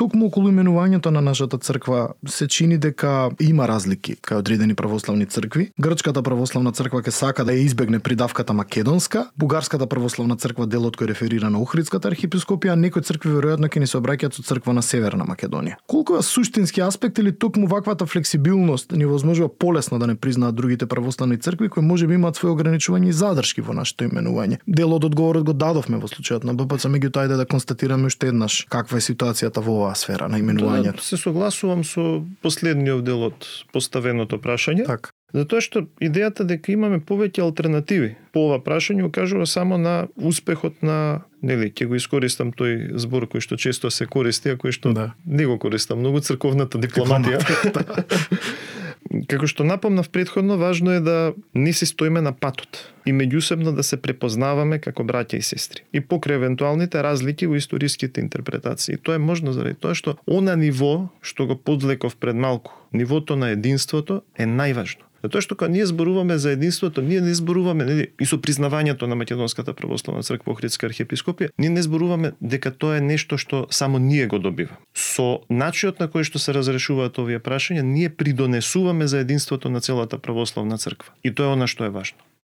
токму околу именувањето на нашата црква се чини дека има разлики кај одредени православни цркви. Грчката православна црква ќе сака да ја избегне придавката македонска, бугарската православна црква делот кој реферира на Охридската архиепископија, а некои цркви веројатно ќе ни се обраќаат со црква на Северна Македонија. Колку е суштински аспект или токму ваквата флексибилност ни возможува полесно да не признаат другите православни цркви кои можеби имаат свои ограничувања и задршки во нашето именување. Дел од одговорот го дадовме во случајот на БПЦ, меѓутоа ајде да констатираме уште еднаш каква е ситуацијата во оваа сфера на именувањето. Се согласувам со последниот дел од поставеното прашање. Так. Затоа што идејата дека имаме повеќе алтернативи по ова прашање укажува само на успехот на, ќе го искористам тој збор кој што често се користи, а кој што не го користам многу, црковната дипломатија. Како што напомнав претходно, важно е да не си стоиме на патот и меѓусебно да се препознаваме како браќа и сестри. И покрај евентуалните разлики во историските интерпретации. Тоа е можно заради тоа што она ниво што го подвлеков пред малку, нивото на единството е најважно. Затоа што кога ние зборуваме за единството, ние не зборуваме и со признавањето на Македонската православна црква Охридска архиепископија, ние не зборуваме дека тоа е нешто што само ние го добиваме. Со начинот на кој што се разрешуваат овие прашања, ние придонесуваме за единството на целата православна црква. И тоа е она што е важно.